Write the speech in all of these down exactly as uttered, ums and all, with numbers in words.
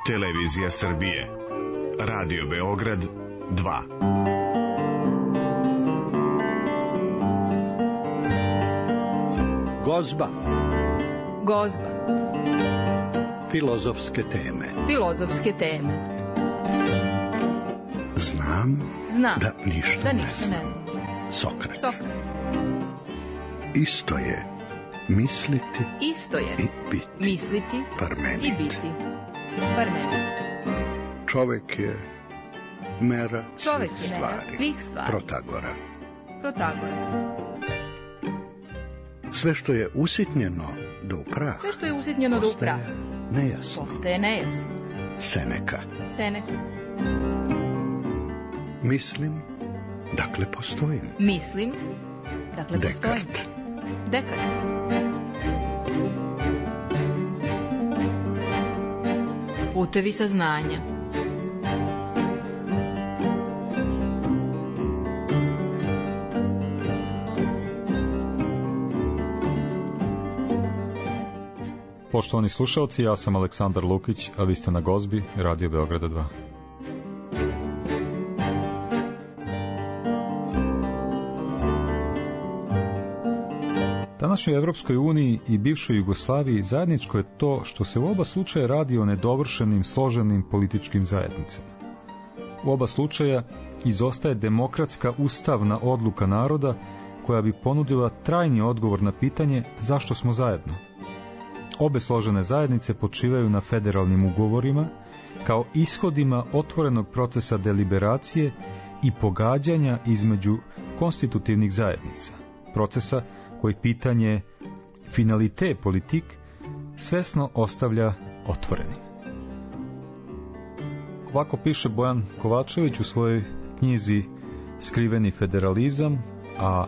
Televizija Srbije, Radio Beograd dva. Gozba. Gozba. Filozofske teme. Filozofske teme. Znam, Znam da ništa, da ne ništa znam. ne znam. Sokrat. Sokrat. Isto je misliti Isto je i biti. misliti Parmenid. i biti. Parmenid. Čovek je mera Čovek svih je mera stvari. svih stvari. Protagora. Protagora. Sve što je usitnjeno do upraha, Sve što je usitnjeno do upraha nejasno. postaje nejasno. Seneka. Seneka. Mislim, dakle postojim. Mislim, dakle postojim. Dekart. Dekart. Putevi saznanja. Poštovani slušalci, ja sam Aleksandar Lukić, a vi ste na Gozbi, Radio Beograda dva. Današnjoj Evropskoj uniji i bivšoj Jugoslaviji zajedničko je to što se u oba slučaja radi o nedovršenim, složenim političkim zajednicama. U oba slučaja izostaje demokratska ustavna odluka naroda koja bi ponudila trajni odgovor na pitanje zašto smo zajedno. Obe složene zajednice počivaju na federalnim ugovorima kao ishodima otvorenog procesa deliberacije i pogađanja između konstitutivnih zajednica, procesa koji pitanje finalite politik svesno ostavlja otvorenim. Ovako piše Bojan Kovačević u svojoj knjizi Skriveni federalizam, a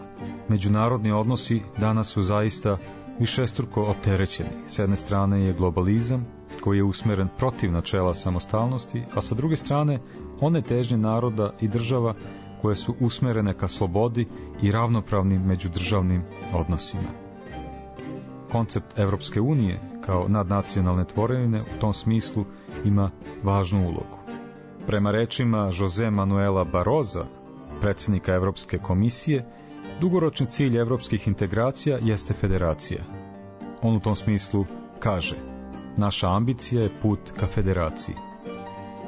međunarodni odnosi danas su zaista višestruko opterećeni. S jedne strane je globalizam koji je usmeren protiv načela samostalnosti, a sa druge strane one težnje naroda i država koje su usmerene ka slobodi i ravnopravnim međudržavnim odnosima. Koncept Evropske unije kao nadnacionalne tvorevine u tom smislu ima važnu ulogu. Prema rečima Jose Manuela Barroza, predsjednika Evropske komisije, dugoročni cilj evropskih integracija jeste federacija. On u tom smislu kaže: naša ambicija je put ka federaciji.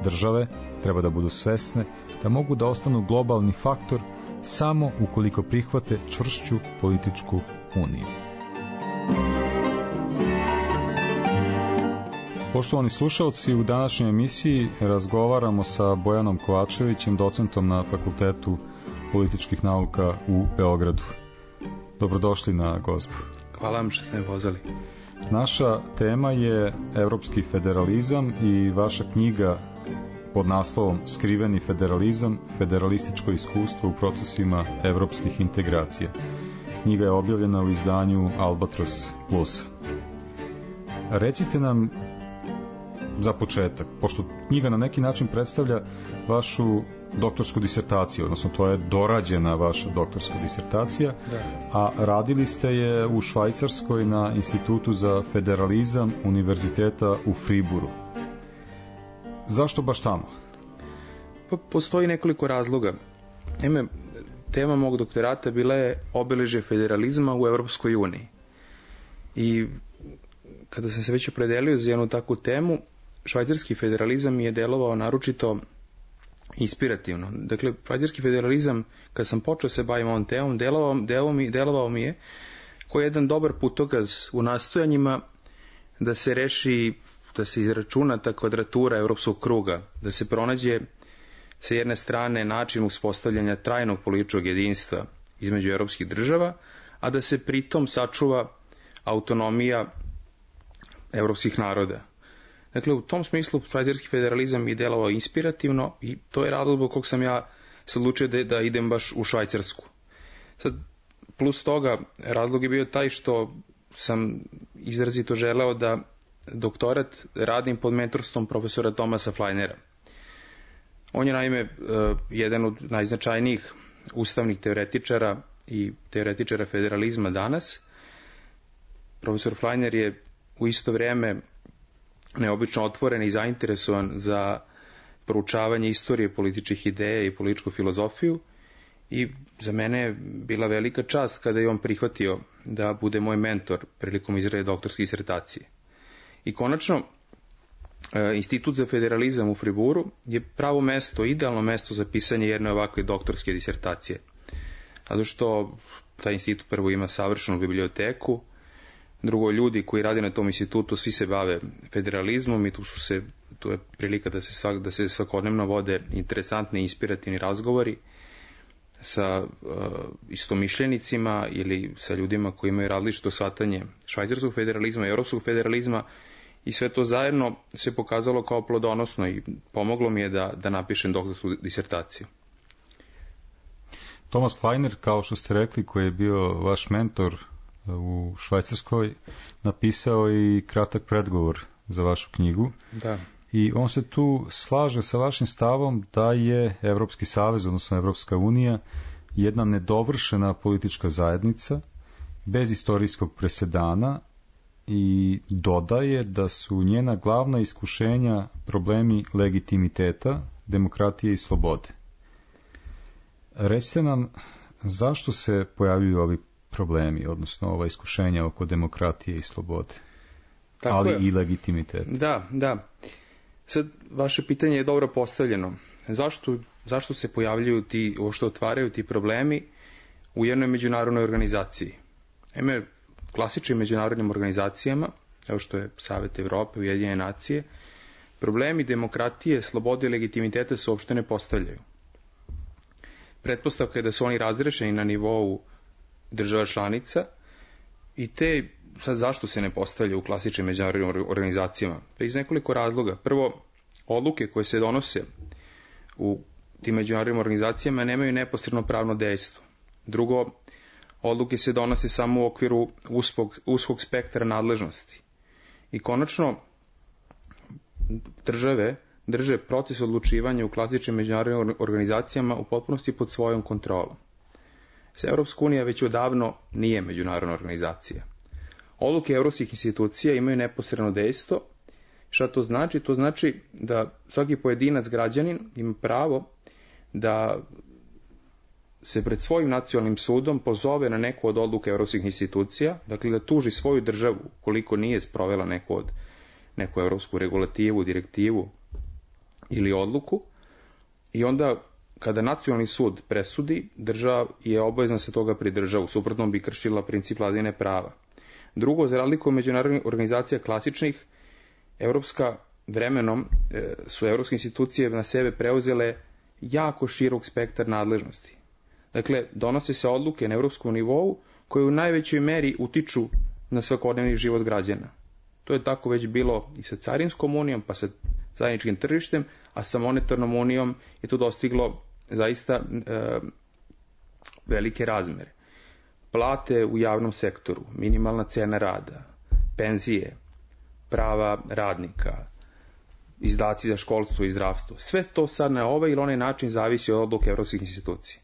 Države treba da budu svesne da mogu da ostanu globalni faktor samo ukoliko prihvate čvršću političku uniju. Poštovani slušalci, u današnjoj emisiji razgovaramo sa Bojanom Kovačevićem, docentom na Fakultetu političkih nauka u Beogradu. Dobrodošli na Gozbu. Hvala vam što ste me pozvali. Naša tema je evropski federalizam i vaša knjiga pod naslovom Skriveni federalizam, federalističko iskustvo u procesima evropskih integracija. Knjiga je objavljena u izdanju Albatros Plusa. Recite nam za početak, pošto knjiga na neki način predstavlja vašu doktorsku disertaciju, odnosno to je dorađena vaša doktorska disertacija, da. A radili ste je u Švajcarskoj na Institutu za federalizam Univerziteta u Friburu. Zašto baš tamo? Pa, postoji nekoliko razloga. Ime, tema mog doktorata bila je obeležje federalizma u Evropskoj uniji. I kada sam se već opredelio za jednu takvu temu, švajcarski federalizam mi je delovao naročito inspirativno. Dakle, švajcarski federalizam, kad sam počeo se bavim ovom temom, delovao, delovao, mi, delovao mi je koji je jedan dobar putokaz u nastojanjima da se reši, da se izračuna ta kvadratura evropskog kruga, da se pronađe sa jedne strane način uspostavljanja trajnog političkog jedinstva između evropskih država, a da se pritom sačuva autonomija evropskih naroda. Dakle, u tom smislu švajcarski federalizam je delovao inspirativno i to je razlog zbog kog sam ja se odlučio da, da idem baš u Švajcarsku. Sad, plus toga, razlog je bio taj što sam izrazito želeo da doktorat radim pod mentorstvom profesora Thomasa Fleinera. On je naime jedan od najznačajnijih ustavnih teoretičara i teoretičara federalizma danas. Profesor Fleiner je u isto vrijeme neobično otvoren i zainteresovan za proučavanje istorije političkih ideja i političku filozofiju i za mene je bila velika čast kada je on prihvatio da bude moj mentor prilikom izrade doktorske disertacije. I konačno, Institut za federalizam u Friburu je pravo mesto, idealno mesto za pisanje jedne ovakve doktorske disertacije. Zato što taj institut prvo ima savršenu biblioteku, drugo, ljudi koji rade na tom institutu svi se bave federalizmom i tu su se, tu je prilika da se, svak, da se svakodnevno vode interesantni i inspirativni razgovori sa uh, istomišljenicima ili sa ljudima koji imaju različito shvatanje švajcarskog federalizma i europskog federalizma i sve to zajedno se pokazalo kao plodonosno i pomoglo mi je da, da napišem doktorsku disertaciju. Thomas Kleiner, kao što ste rekli, koji je bio vaš mentor u Švajcarskoj, napisao i kratak predgovor za vašu knjigu. Da. I on se tu slaže sa vašim stavom da je Evropski savez, odnosno Evropska unija, jedna nedovršena politička zajednica, bez istorijskog presedana i dodaje da su njena glavna iskušenja problemi legitimiteta, demokratije i slobode. Recite nam zašto se pojavljuju ovi problemi, odnosno ova iskušenja oko demokratije i slobode, tako ali je. I legitimiteta. Da, da. Sad, vaše pitanje je dobro postavljeno. Zašto, zašto se pojavljuju ti, ovo što otvaraju ti problemi u jednoj međunarodnoj organizaciji? Eme, klasičnim međunarodnim organizacijama, kao što je Savet Evrope, Ujedinjene nacije, problemi demokratije, slobode i legitimiteta se uopšte ne postavljaju. Pretpostavka je da su oni razrešeni na nivou država članica i te, sad zašto se ne postavljaju u klasičnim međunarodnim organizacijama? Pa iz nekoliko razloga. Prvo, odluke koje se donose u tim međunarodnim organizacijama nemaju neposredno pravno dejstvo. Drugo, odluke se donose samo u okviru uskog, uskog spektra nadležnosti. I konačno, države drže proces odlučivanja u klasičnim međunarodnim organizacijama u potpunosti pod svojom kontrolom. Evropska unija već odavno nije međunarodna organizacija. Odluke evropskih institucija imaju neposredno dejstvo. Šta to znači? To znači da svaki pojedinac građanin ima pravo da se pred svojim nacionalnim sudom pozove na neku od odluka evropskih institucija, dakle da tuži svoju državu koliko nije sprovela neku od neku evropsku regulativu, direktivu ili odluku, i onda kada nacionalni sud presudi, država je obavezna se toga pridržava, u suprotnom bi kršila princip vladavine prava. Drugo, za razliku od međunarodnih organizacija klasičnih, evropska vremenom su evropske institucije na sebe preuzele jako širok spektar nadležnosti. Dakle, donose se odluke na evropskom nivou koje u najvećoj meri utiču na svakodnevni život građana. To je tako već bilo i sa carinskom unijom, pa sa zajedničkim tržištem, a sa monetarnom unijom je to dostiglo zaista e, velike razmere. Plate u javnom sektoru, minimalna cena rada, penzije, prava radnika, izdaci za školstvo i zdravstvo, sve to sad na ovaj ili onaj način zavisi od odluke evropskih institucija.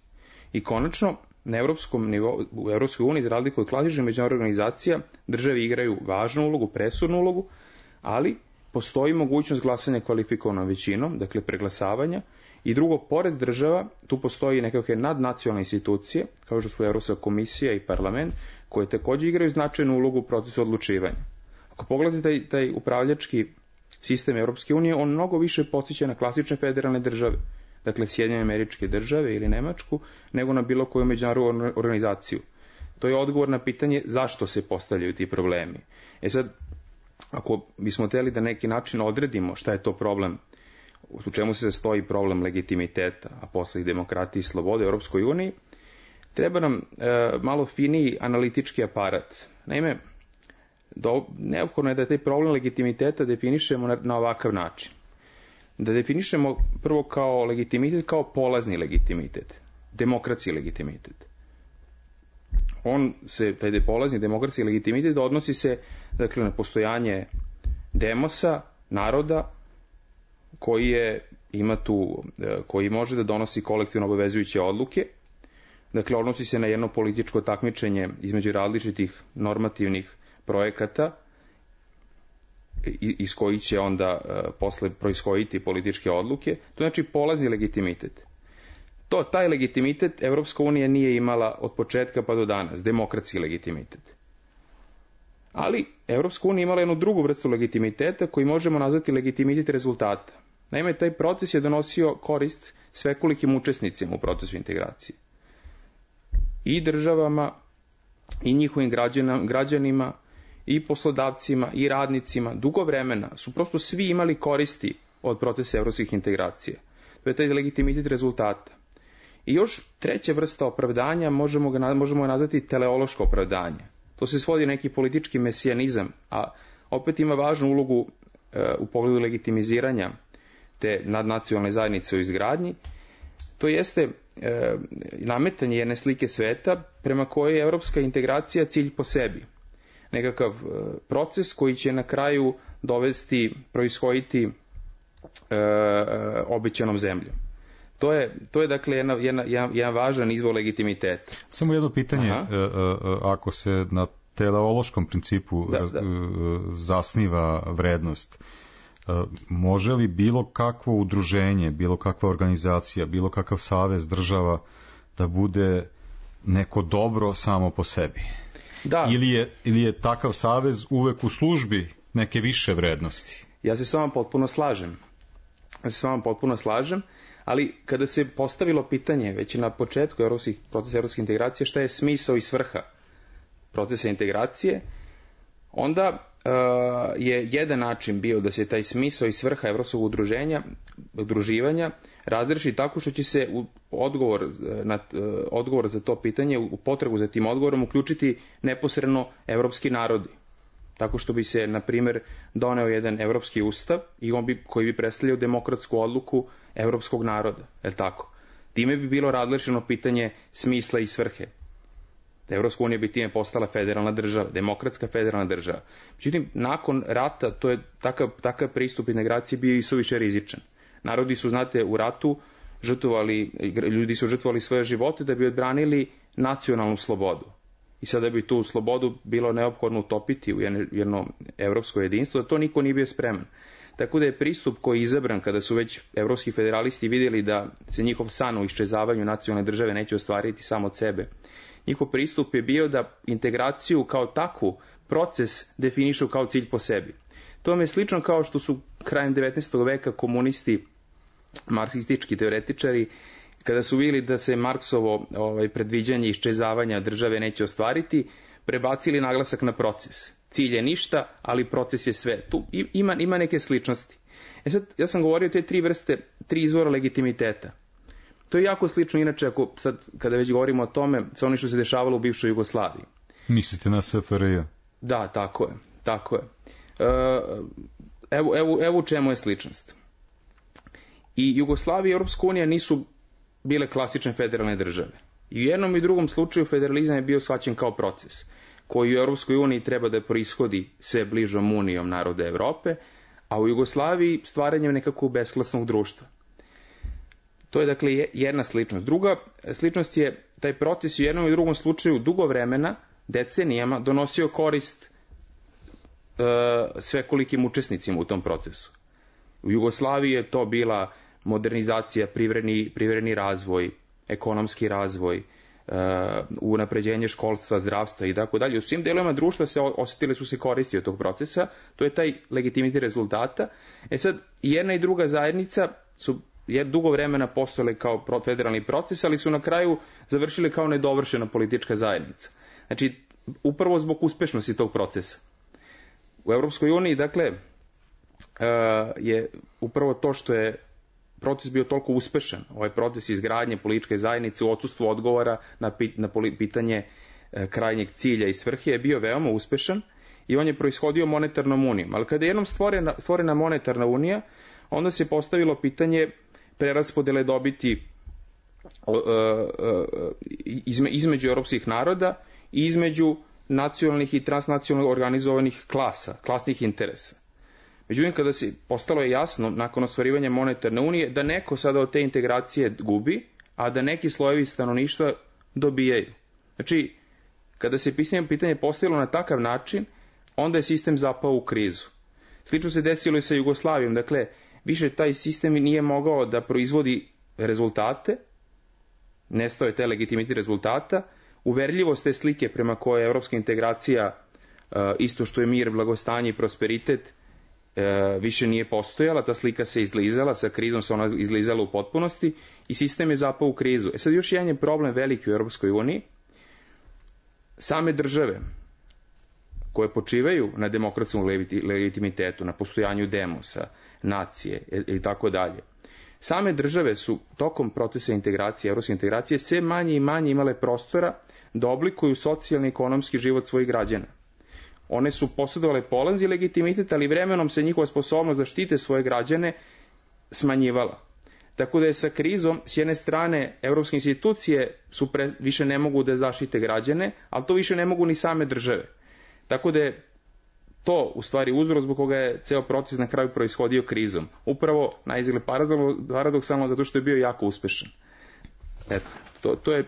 I konačno, na evropskom nivou, u Evropskoj uniji, za razliku od klasičnih međunarodnih organizacija, države igraju važnu ulogu, presudnu ulogu, ali postoji mogućnost glasanja kvalifikovanom većinom, dakle preglasavanja, i drugo, pored država, tu postoji nekakve nadnacionalne institucije, kao što su Evropska komisija i parlament, koje također igraju značajnu ulogu u procesu odlučivanja. Ako pogledate taj, taj upravljački sistem Evropske unije, on mnogo više podsjeća na klasične federalne države, dakle Sjedinjene Američke Države ili Nemačku, nego na bilo koju međunarodnu organizaciju. To je odgovor na pitanje zašto se postavljaju ti problemi. E sad, ako bismo htjeli da neki način odredimo šta je to problem, u čemu se sastoji problem legitimiteta, a posle i demokratije i slobode u Europskoj uniji, treba nam e, malo finiji analitički aparat. Naime, do, neophodno je da taj problem legitimiteta definišemo na, na ovakav način. Da definišemo prvo kao legitimitet, kao polazni legitimitet, demokratski legitimitet. On se, taj polazni demokratski legitimitet odnosi se, dakle, na postojanje demosa, naroda, koji je, ima tu, koji može da donosi kolektivno obavezujuće odluke. Dakle, odnosi se na jedno političko takmičenje između različitih normativnih projekata iz kojih će onda posle proishoditi političke odluke, to znači polazi legitimitet. To, taj legitimitet Evropska unija nije imala od početka pa do danas, demokratski legitimitet. Ali Evropska unija imala jednu drugu vrstu legitimiteta koji možemo nazvati legitimitet rezultata. Naime, taj proces je donosio korist svekolikim učesnicima u procesu integracije. I državama, i njihovim građanima, i poslodavcima, i radnicima, dugo vremena su prosto svi imali koristi od procesa evropskih integracija. To je taj legitimitet rezultata. I još treća vrsta opravdanja možemo ga možemo ga nazvati teleološko opravdanje. To se svodi neki politički mesijanizam, a opet ima važnu ulogu e, u pogledu legitimiziranja te nadnacionalne zajednice u izgradnji. To jeste e, nametanje jedne slike sveta prema kojoj je evropska integracija cilj po sebi. Nekakav e, proces koji će na kraju dovesti, proishoditi e, e, obećanom zemljom. To je, to je dakle jedna, jedna, jedan, jedan važan izvor legitimiteta. Samo jedno pitanje, e, e, ako se na teleološkom principu da, da. zasniva vrednost, može li bilo kakvo udruženje, bilo kakva organizacija, bilo kakav savez država da bude neko dobro samo po sebi? Da. Ili je, ili je takav savez uvek u službi neke više vrednosti? Ja se s vama potpuno slažem. Ja se s vama potpuno slažem, ali kada se postavilo pitanje već na početku evropskih, procesa evropske integracije šta je smisao i svrha procesa integracije, onda uh, je jedan način bio da se taj smisao i svrha evropskog udruženja, udruživanja razreši tako što će se u odgovor, na, uh, odgovor za to pitanje, u potragu za tim odgovorom uključiti neposredno evropski narodi. Tako što bi se, na primjer, doneo jedan evropski ustav i on bi, koji bi predstavljao demokratsku odluku evropskog naroda, je li tako? Time bi bilo razrešeno pitanje smisla i svrhe. Evropska unija bi time postala federalna država, demokratska federalna država. Međutim, nakon rata, to je takav, takav pristup integraciji bio i suviše rizičan. Narodi su, znate, u ratu žrtvovali, ljudi su žrtvovali svoje živote da bi odbranili nacionalnu slobodu. I sada bi tu slobodu bilo neophodno utopiti u jedno, jedno evropsko jedinstvo, da to niko nije bio spreman. Tako da je pristup koji je izabran kada su već evropski federalisti vidjeli da se njihov san o iščezavanju nacionalne države neće ostvariti samo od sebe. Njihov pristup je bio da integraciju kao takvu proces definišu kao cilj po sebi. To vam je slično kao što su krajem devetnaestog veka komunisti, marksistički teoretičari, kada su vidjeli da se Marksovo ovaj, predviđanje iščezavanja države neće ostvariti, prebacili naglasak na proces. Cilj je ništa, ali proces je sve. Tu ima, ima neke sličnosti. E sad, ja sam govorio te tri vrste, tri izvora legitimiteta. To je jako slično, inače, ako sad, kada već govorimo o tome, sa onim što se dešavalo u bivšoj Jugoslaviji. Mislite na S F R J? Da, tako je. Tako je. Evo, evo, evo u čemu je sličnost. I Jugoslavija i Europska unija nisu bile klasične federalne države. I u jednom i drugom slučaju federalizam je bio shvaćen kao proces, koji u Europskoj uniji treba da proishodi sve bližom unijom naroda Evrope, a u Jugoslaviji stvaranjem nekakvog besklasnog društva. To je dakle jedna sličnost. Druga sličnost je taj proces u jednom i drugom slučaju dugo vremena, decenijama, donosio korist e, svekolikim učesnicima u tom procesu. U Jugoslaviji je to bila modernizacija, privredni, privredni razvoj, ekonomski razvoj, uh, unapređenje školstva, zdravstva i tako dalje. U svim delovima društva se osjetile su se koristi od tog procesa, to je taj legitimitet rezultata. E sad, jedna i druga zajednica su je dugo vremena postojale kao federalni proces, ali su na kraju završile kao nedovršena politička zajednica. Znači, upravo zbog uspešnosti tog procesa. U Evropskoj uniji, dakle, uh, je upravo to što je proces bio toliko uspešan, ovaj proces izgradnje političke zajednice u odsustvu odgovora na, pit, na pitanje e, krajnjeg cilja i svrhe je bio veoma uspešan i on je proishodio monetarnom unijom. Ali kada je jednom stvorena, stvorena monetarna unija, onda se postavilo pitanje preraspodele dobiti e, e, izme, između europskih naroda i između nacionalnih i transnacionalnih organizovanih klasa, klasnih interesa. Međutim, kada se postalo je jasno, nakon ostvarivanja monetarne unije, da neko sada od te integracije gubi, a da neki slojevi stanovništva dobijaju. Znači, kada se pitanje, pitanje postavilo na takav način, onda je sistem zapao u krizu. Slično se desilo i sa Jugoslavijom. Dakle, više taj sistem nije mogao da proizvodi rezultate, nestao je taj legitimitet rezultata, uverljivost te slike prema kojoj je evropska integracija, isto što je mir, blagostanje i prosperitet, više nije postojala, ta slika se izlizala, sa krizom se ona izlizala u potpunosti i sistem je zapao u krizu. E sad još jedan je problem veliki u Europskoj uniji. Same države koje počivaju na demokratskom legitimitetu, na postojanju demosa, nacije i tako dalje. Same države su tokom procesa integracije, evropske integracije, sve manje i manje imale prostora da oblikuju socijalni i ekonomski život svojih građana. One su posjedovale polanzi legitimitet, ali vremenom se njihova sposobnost da štite svoje građane smanjivala. Tako da je sa krizom, s jedne strane, evropske institucije su pre, više ne mogu da zaštite građane, ali to više ne mogu ni same države. Tako da je to u stvari uzrok zbog koga je ceo proces na kraju proishodio krizom. Upravo naizgled paradoksalno zato što je bio jako uspešan. Eto, to, to je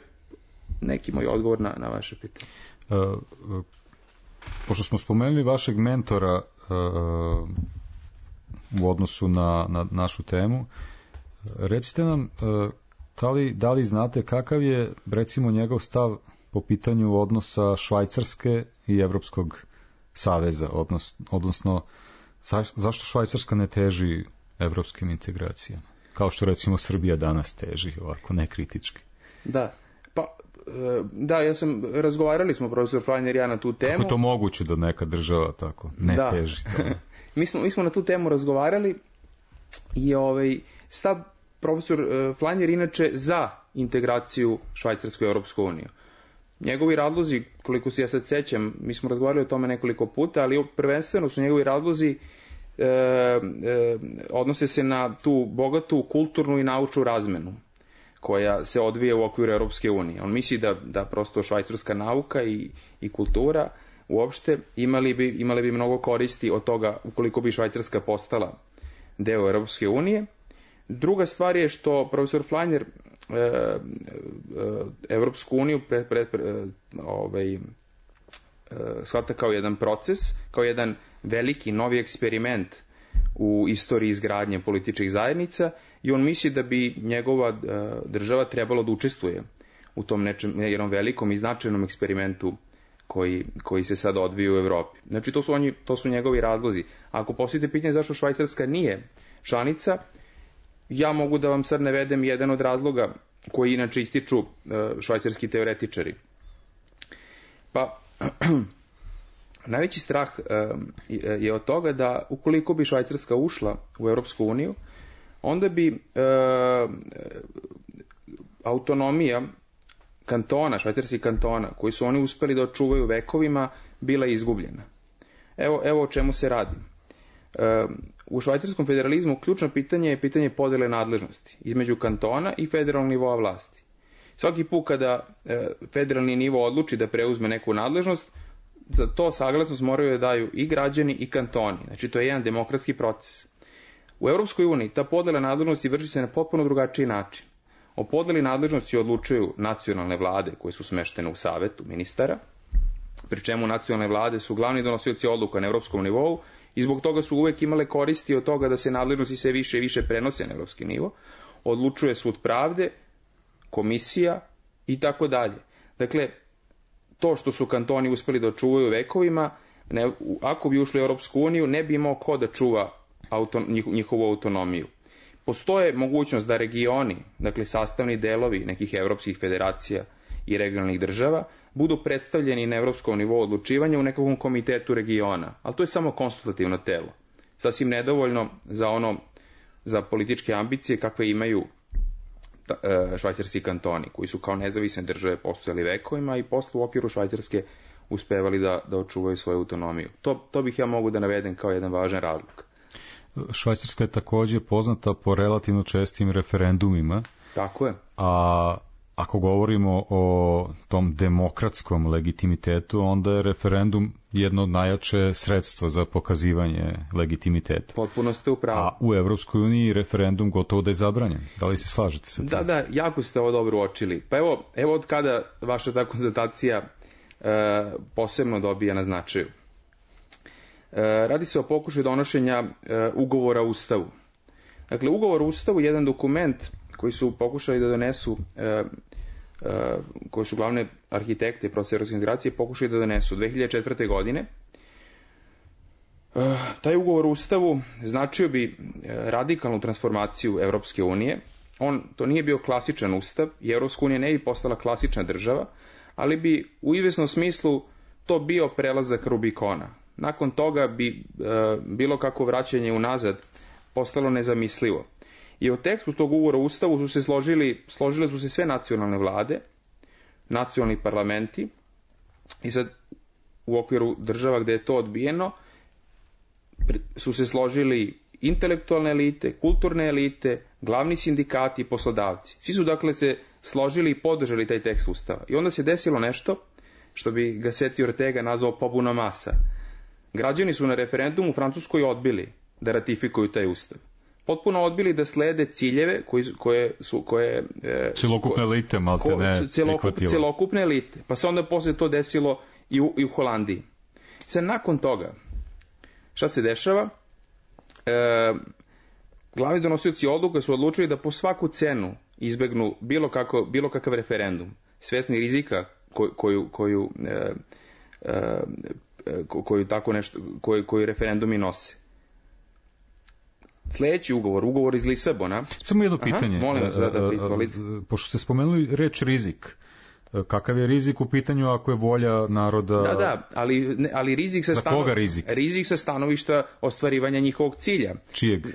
neki moj odgovor na, na vaše pitanje. Uh, uh, pošto smo spomenuli vašeg mentora uh, u odnosu na, na našu temu, recite nam uh, da li, da li znate kakav je recimo njegov stav po pitanju odnosa Švajcarske i Evropskog saveza, odnos, odnosno za, zašto Švajcarska ne teži evropskim integracijama, kao što recimo Srbija danas teži, ovako nekritički. Da, pa da, ja sam, razgovarali smo profesor Fleiner i ja na tu temu. Kako je to moguće da neka država tako ne da. teži to? mi, smo, mi smo na tu temu razgovarali i ovaj, stav profesor Fleiner inače za integraciju Švajcarske u Europsku uniju. Njegovi razlozi, koliko se ja sad sećam, mi smo razgovarali o tome nekoliko puta, ali prvenstveno su njegovi razlozi e, e, odnose se na tu bogatu kulturnu i naučnu razmenu koja se odvija u okviru Europske unije. On misli da, da prosto švajcarska nauka i, i kultura uopšte imali bi, imali bi mnogo koristi od toga ukoliko bi Švajcarska postala deo Europske unije. Druga stvar je što profesor Fleiner e, e, Evropsku uniju pre, pre, pre, ovaj, e, shvata kao jedan proces, kao jedan veliki novi eksperiment u istoriji izgradnje političkih zajednica i on misli da bi njegova e, država trebalo da učestvuje u tom nečem, jednom velikom i značajnom eksperimentu koji, koji se sad odvija u Evropi. Znači to su, oni, to su njegovi razlozi. Ako postavite pitanje zašto Švajcarska nije članica, ja mogu da vam sad navedem jedan od razloga koji inače ističu švajcarski teoretičari. Pa, najveći strah je od toga da ukoliko bi Švajcarska ušla u Europsku uniju, onda bi e, autonomija kantona, švajcarskih kantona, koji su oni uspeli da očuvaju vekovima, bila izgubljena. Evo, evo o čemu se radi. U švajcarskom federalizmu ključno pitanje je pitanje podele nadležnosti između kantona i federalnog nivoa vlasti. Svaki put kada federalni nivo odluči da preuzme neku nadležnost, za to saglasnost moraju da daju i građani i kantoni. Znači to je jedan demokratski proces. U Europskoj uniji ta podela nadležnosti vrši se na potpuno drugačiji način. O podeli nadležnosti odlučuju nacionalne vlade koje su smeštene u savetu ministara, pri čemu nacionalne vlade su glavni donosioci odluka na europskom nivou i zbog toga su uvek imale koristi od toga da se nadležnosti sve više i više prenose na evropski nivo. Odlučuje sud pravde, komisija i tako dalje. Dakle, to što su kantoni uspeli da očuvaju vekovima, ne, ako bi ušli u Europsku uniju, ne bi imao ko da čuva auto, njihovu autonomiju. Postoje mogućnost da regioni, dakle sastavni delovi nekih evropskih federacija i regionalnih država, budu predstavljeni na evropskom nivou odlučivanja u nekakvom komitetu regiona, ali to je samo konsultativno telo. Sasvim nedovoljno za ono, za političke ambicije kakve imaju švajcarski kantoni, koji su kao nezavisne države postojali vekovima i posle u okviru Švajcarske uspevali da, da očuvaju svoju autonomiju. To, to bih ja mogu da navedem kao jedan važan razlog. Švajcarska je također poznata po relativno čestim referendumima. Tako je. A ako govorimo o tom demokratskom legitimitetu, onda je referendum jedno od najjače sredstva za pokazivanje legitimiteta. Potpuno ste u pravu. A u Evropskoj uniji referendum gotovo da je zabranjen. Da li se slažete sa tim? Da, da, jako ste ovo dobro uočili. Pa evo, evo od kada vaša ta konstatacija e, posebno dobija na značaju. radi se o pokušaju donošenja ugovora o Ustavu. Dakle, ugovor o Ustavu je jedan dokument koji su pokušali da donesu, koji su glavne arhitekte procesa evropske integracije pokušali da donesu dve hiljade četvrte. godine. Taj ugovor o Ustavu značio bi radikalnu transformaciju Evropske unije. On, to nije bio klasičan ustav i Evropska unija ne bi postala klasična država, ali bi u izvesnom smislu to bio prelazak Rubikona. Nakon toga bi e, bilo kako vraćanje unazad postalo nezamislivo. I u tekstu tog ugovora o Ustavu su se složili, složile su se sve nacionalne vlade, nacionalni parlamenti, i sad u okviru država gde je to odbijeno su se složili intelektualne elite, kulturne elite, glavni sindikati i poslodavci. Svi su dakle se složili i podržali taj tekst Ustava. I onda se desilo nešto što bi ga Seti Ortega nazvao pobuna masa. Građani su na referendumu u Francuskoj odbili da ratifikuju taj Ustav. Potpuno odbili da slede ciljeve koji, koje su... Koje, e, celokupne elite, malte ne prihvatilo. Celokupne elite. Pa se onda posle to desilo i u, i u Holandiji. Sad, nakon toga, šta se dešava? E, glavni donosioci odluka su odlučili da po svaku cenu izbegnu bilo, kako, bilo kakav referendum, svesni rizika koju, koju, koju, e, e, koju, tako nešto, koju, koju referendumi nose. Sljedeći ugovor, ugovor iz Lisabona. Samo jedno pitanje. Aha, molim vas, da, da, pošto ste spomenuli reč rizik, kakav je rizik u pitanju ako je volja naroda... Da, da, ali, ne, ali rizik, sa Za stano... koga rizik? rizik sa stanovišta ostvarivanja njihovog cilja. Čijeg?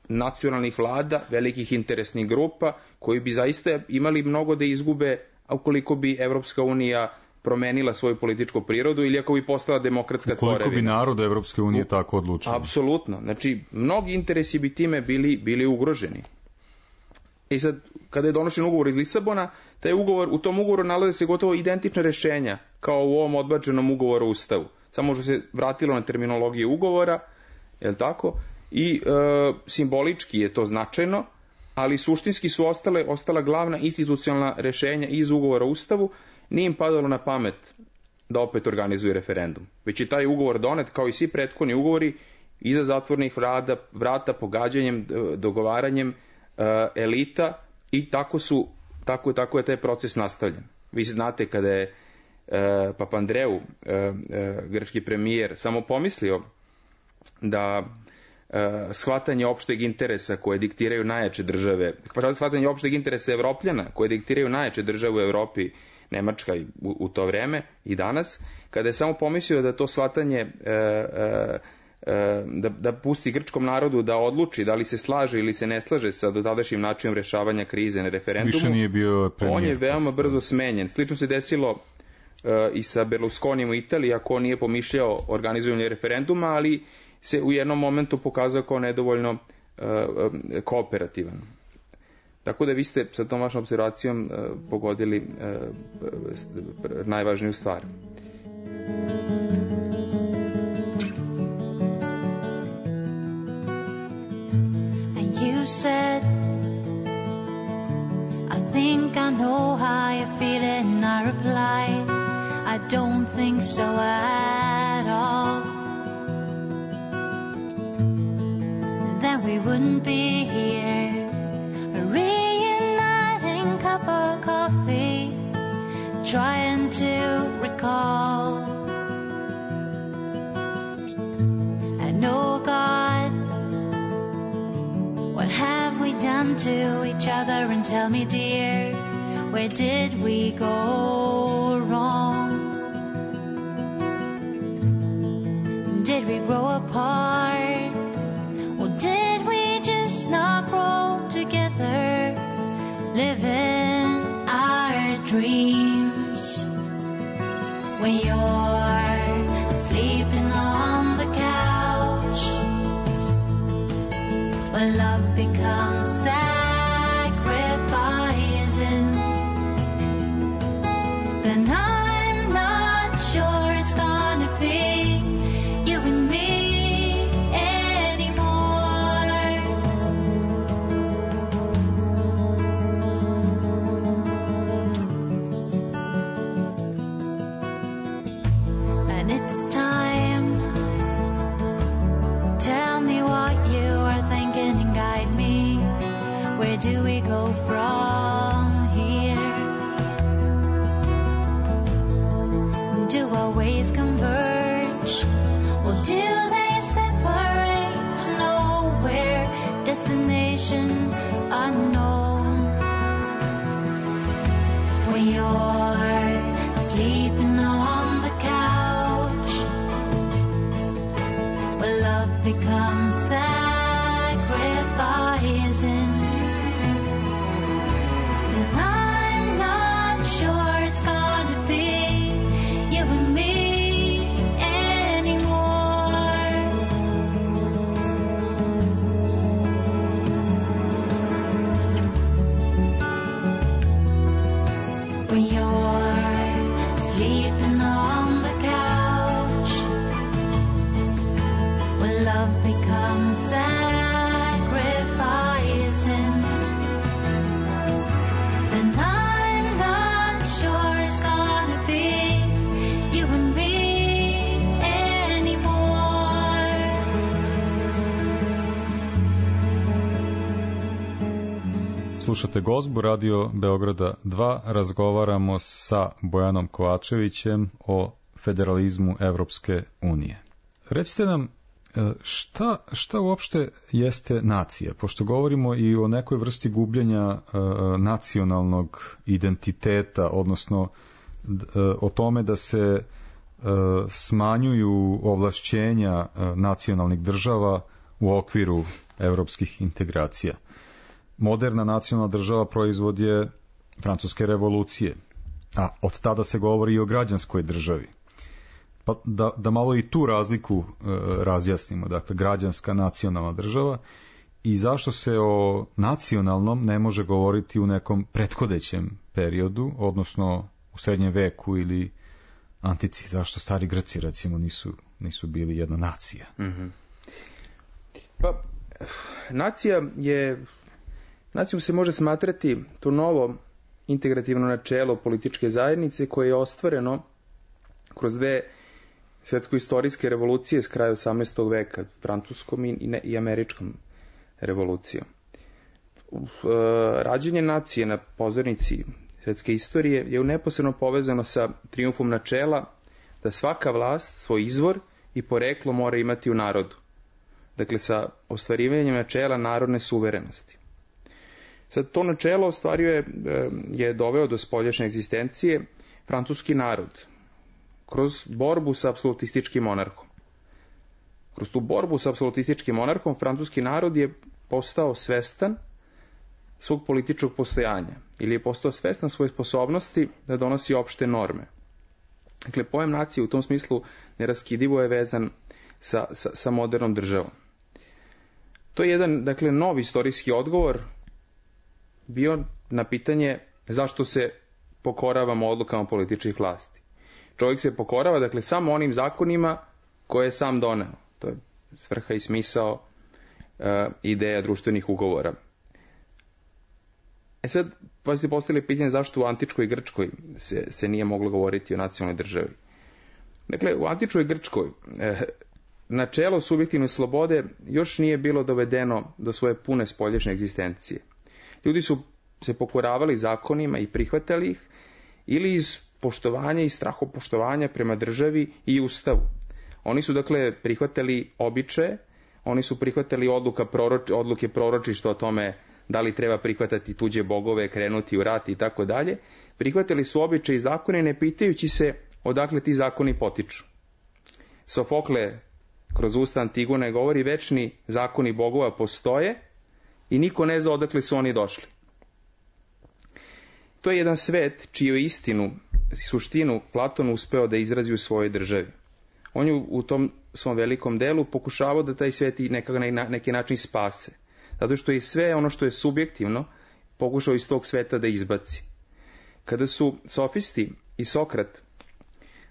Nacionalnih vlada, velikih interesnih grupa, koji bi zaista imali mnogo da izgube ukoliko bi Evropska unija promenila svoju političku prirodu ili ako bi postala demokratska tvorevina. Koliko bi narod Evropske unije tako odlučio? Apsolutno. Znači, mnogi interesi bi time bili, bili ugroženi. I sad, kada je donošen ugovor iz Lisabona, taj ugovor, u tom ugovoru nalaze se gotovo identične rešenja kao u ovom odbačenom ugovoru o Ustavu. Samo što se vratilo na terminologiju ugovora, je li tako? I e, simbolički je to značajno, ali suštinski su ostale, ostala glavna institucionalna rešenja iz ugovora o Ustavu. Nije im padalo na pamet da opet organizuju referendum. Već je taj ugovor donet, kao i svi prethodni ugovori, iza zatvornih vrata, vrata pogađanjem, dogovaranjem uh, elita, i tako su, tako, tako je taj proces nastavljen. Vi znate kada je uh, Papandreou, uh, uh, grčki premijer, samo pomislio da uh, shvatanje opšteg interesa koje diktiraju najjače države, shvatanje opšteg interesa Evropljana koje diktiraju najjače države u Evropi, Nemačka u, u to vreme i danas, kada je samo pomislio da to shvatanje e, e, e, da, da pusti grčkom narodu da odluči da li se slaže ili se ne slaže sa dotadašnjim načinom rešavanja krize na referendumu, više nije bio premijer, on je veoma brzo smenjen. Slično se desilo e, i sa Berlusconijem u Italiji, ako on nije pomišljao organizovanje referenduma, ali se u jednom momentu pokazao kao nedovoljno e, e, kooperativan. Tako da vi ste sa tom vašom observacijom uh, pogodili uh, najvažniju stvar. And you said, I think I know how you feel it, and I replied, I don't think so at all. Then we wouldn't be here, reuniting cup of coffee, trying to recall. I know, God, what have we done to each other? And tell me, dear, where did we go wrong? Did we grow apart? Or did we just not grow together, living our dreams? When you're sleeping on the couch, when love becomes sacrificing, then I'm not sure it's gonna be you and me. do we go from here? Do our ways converge, or do they separate? Nowhere, destination unknown. When you're sleeping on the couch, where love becomes sacrificing, and I'm not sure it's gonna be you and me anymore. When you're sleeping on the couch, where love becomes sacrificing, and I'm not sure it's gonna be you and me anymore. Slušate Gozbu, Radio Beograda dva, razgovaramo sa Bojanom Kovačevićem o federalizmu Evropske unije. Recite nam, šta, šta uopšte jeste nacija? Pošto govorimo i o nekoj vrsti gubljenja uh, nacionalnog identiteta, odnosno uh, o tome da se uh, smanjuju ovlašćenja uh, nacionalnih država u okviru evropskih integracija. Moderna nacionalna država proizvod je Francuske revolucije, a od tada se govori i o građanskoj državi. Pa da, da malo i tu razliku e, razjasnimo, dakle građanska nacionalna država, i zašto se o nacionalnom ne može govoriti u nekom prethodećem periodu, odnosno u srednjem veku ili antici, zašto stari Grci recimo nisu, nisu bili jedna nacija? Mm-hmm. Pa, nacija je, nacijom se može smatrati to novo integrativno načelo političke zajednice koje je ostvareno kroz dve svetsko-istorijske revolucije s kraja osamnaestog veka, francuskom i, ne, i američkom revolucijom. Rađenje nacije na pozornici svetske istorije je neposredno povezano sa trijumfom načela da svaka vlast svoj izvor i poreklo mora imati u narodu. Dakle, sa ostvarivanjem načela narodne suverenosti. Sad, to načelo ostvario je, je doveo do spoljašnje egzistencije francuski narod, kroz borbu sa apsolutističkim monarhom. Kroz tu borbu sa apsolutističkim monarhom, francuski narod je postao svestan svog političkog postojanja, ili je postao svestan svoje sposobnosti da donosi opšte norme. Dakle, pojam nacije u tom smislu neraskidivo je vezan sa, sa, sa modernom državom. To je jedan, dakle, novi istorijski odgovor bio na pitanje zašto se pokoravamo odlukama političkih vlasti. Čovjek se pokorava, dakle, samo onim zakonima koje je sam doneo. To je svrha i smisao uh, ideja društvenih ugovora. E sad, pa ste postavili pitanje zašto u antičkoj Grčkoj se, se nije moglo govoriti o nacionalnoj državi. Dakle, u antičkoj Grčkoj eh, načelo subjektivne slobode još nije bilo dovedeno do svoje pune spoljašnje egzistencije. Ljudi su se pokoravali zakonima i prihvatali ih, ili iz poštovanja i strahopoštovanja prema državi i ustavu. Oni su, dakle, prihvatali običaje, oni su prihvatali odluka proroč, odluke proročišta o tome da li treba prihvatati tuđe bogove, krenuti u rat i tako dalje. Prihvatili su običaje i zakone ne pitajući se odakle ti zakoni potiču. Sofokle kroz usta Antigone govori večni zakoni bogova postoje i niko ne zna odakle su oni došli. To je jedan svet čiju istinu i suštinu Platon uspeo da izrazi u svojoj državi. On je u tom svom velikom delu pokušavao da taj svet i nekako na neki način spase. Zato što je sve ono što je subjektivno pokušao iz tog sveta da izbaci. Kada su sofisti i Sokrat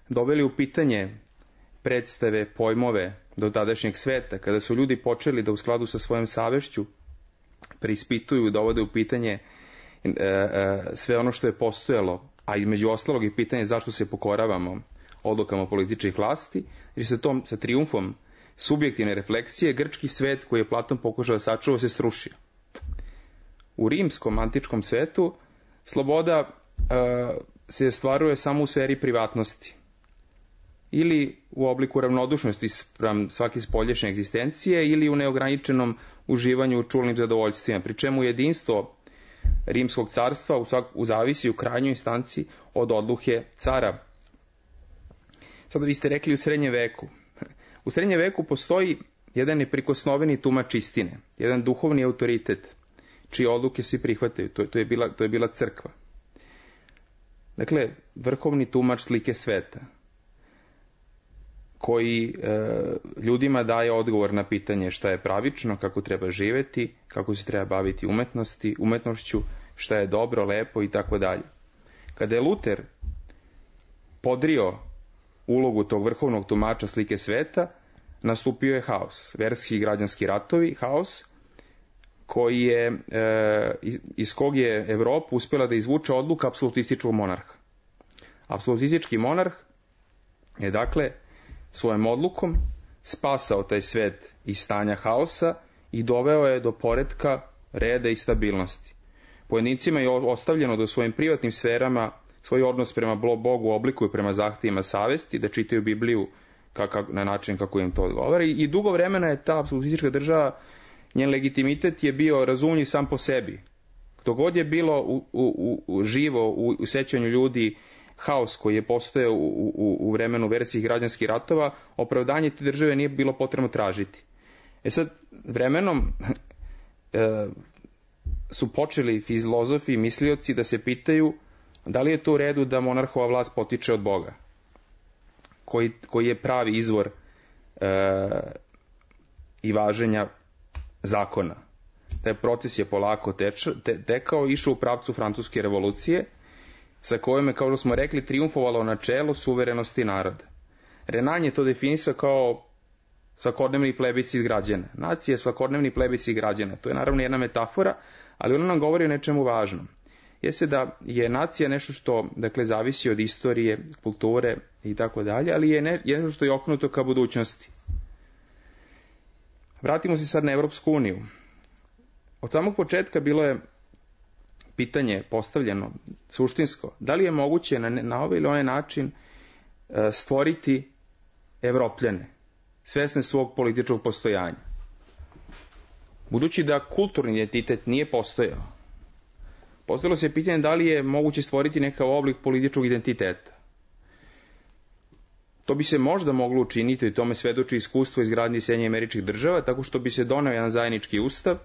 doveli u pitanje predstave, pojmove do tadašnjeg sveta, kada su ljudi počeli da u skladu sa svojom savešću preispituju, dovode u pitanje e, e, sve ono što je postojalo, a između ostalog i pitanje zašto se pokoravamo odlukama političkih vlasti, jer se tom, sa trijumfom subjektivne refleksije, grčki svet koji je Platon pokušao da sačuva se srušio. u rimskom antičkom svetu sloboda e, se ostvaruje samo u sferi privatnosti ili u obliku ravnodušnosti sprem svake spoljašnje egzistencije ili u neograničenom uživanju u čulnim zadovoljstvima, pri čemu jedinstvo rimskog carstva u, svak, u zavisi u krajnjoj instanci od odluke cara. Sada vi ste rekli u srednjem veku. U srednjem veku postoji jedan neprikosnoveni tumač istine, jedan duhovni autoritet, čije odluke svi prihvataju. To, to, je, bila, to je bila crkva. Dakle, vrhovni tumač slike sveta, koji e, ljudima daje odgovor na pitanje šta je pravično, kako treba živeti, kako se treba baviti umetnosti, umetnošću, šta je dobro, lepo i tako dalje. Kada je Luter podrio ulogu tog vrhovnog tumača slike sveta, nastupio je haos, verski i građanski ratovi, haos koji je, e, iz kog je Evropa uspjela da izvuče odluka apsolutističkog monarha. Apsolutistički monarh je dakle svojom odlukom spasao taj svet iz stanja haosa i doveo je do poretka, reda i stabilnosti. Pojedincima je ostavljeno da u svojim privatnim sferama svoj odnos prema Bogu oblikuju prema zahtjevima savesti, da čitaju Bibliju kakav, na način kako im to odgovara. I, i dugo vremena je ta apsolutistička država, njen legitimitet je bio razumljiv sam po sebi. Dok god je bilo u, u, u, živo u, u sećanju ljudi haos koji je postojao u, u, u vremenu versijih građanskih ratova, opravdanje te države nije bilo potrebno tražiti. E sad, vremenom e, su počeli filozofi i mislioci da se pitaju da li je to u redu da monarhova vlast potiče od Boga, koji, koji je pravi izvor e, i važenja zakona. Taj proces je polako teč, te, tekao, išao u pravcu francuske revolucije, sa kojom je, kao što smo rekli, triumfovalo načelo suverenosti naroda. Renan je to definisao kao svakodnevni plebiscit građana. Nacija je svakodnevni plebiscit građana. To je naravno jedna metafora, ali ona nam govori o nečemu važnom. Jeste da je nacija nešto što, dakle, zavisi od istorije, kulture i tako dalje, ali je ne, nešto što je okrenuto ka budućnosti. Vratimo se sad na Evropsku uniju. Od samog početka bilo je pitanje postavljeno suštinsko, da li je moguće na, na ovaj ili onaj način e, stvoriti Evropljane, svesne svog političkog postojanja. Budući da kulturni identitet nije postojao, postavilo se pitanje da li je moguće stvoriti nekav oblik političkog identiteta. To bi se možda moglo učiniti, i tome svedoči iskustvo izgradnje Sjedinjenih Američkih Država, tako što bi se doneo jedan zajednički ustav,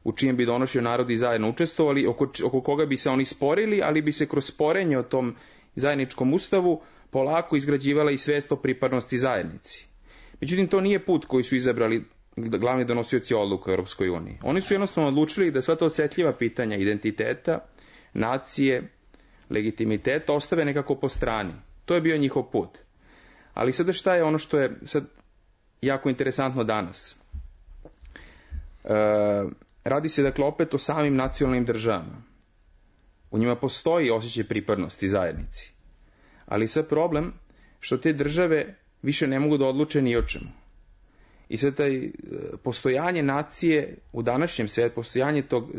u čijem bi donošio narodi zajedno učestvovali, oko, oko koga bi se oni sporili, ali bi se kroz sporenje o tom zajedničkom ustavu polako izgrađivala i svest o pripadnosti zajednici. Međutim, to nije put koji su izabrali glavni donosioci odluka u Europskoj uniji. Oni su jednostavno odlučili da sva ta osjetljiva pitanja identiteta, nacije, legitimiteta ostave nekako po strani. To je bio njihov put. Ali sada šta je ono što je sad jako interesantno danas? E, radi se dakle opet o samim nacionalnim državama. U njima postoji osjećaj pripadnosti zajednici. Ali sad problem što te države više ne mogu da odluče ni o čemu. I sad taj postojanje nacije u današnjem svijetu, postojanje tog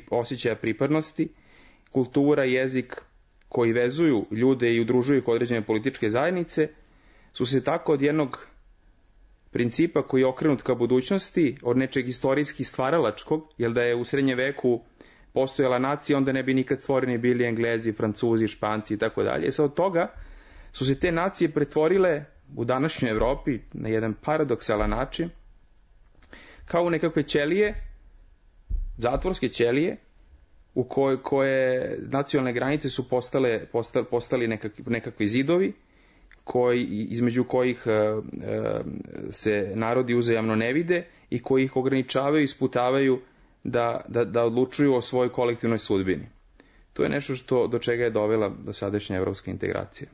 osjećaja pripadnosti, kultura, jezik koji vezuju ljude i udružuju ih određene političke zajednice, su se tako od jednog principa koji je okrenut ka budućnosti, od nečeg istorijski stvaralačkog, jer da je u srednjem veku postojala nacija, onda ne bi nikad stvoreni bili Englezi, Francuzi, Španci i tako dalje. Sad od toga su se te nacije pretvorile u današnjoj Evropi na jedan paradoksalan način kao u nekakve ćelije, zatvorske ćelije, u koje, koje nacionalne granice su postale, postali, postali nekakvi, nekakvi zidovi, koji, između kojih e, e, se narodi uzajamno ne vide i koji ih ograničavaju i isputavaju da, da, da odlučuju o svojoj kolektivnoj sudbini. To je nešto što, do čega je dovela do sadašnja evropska integracija.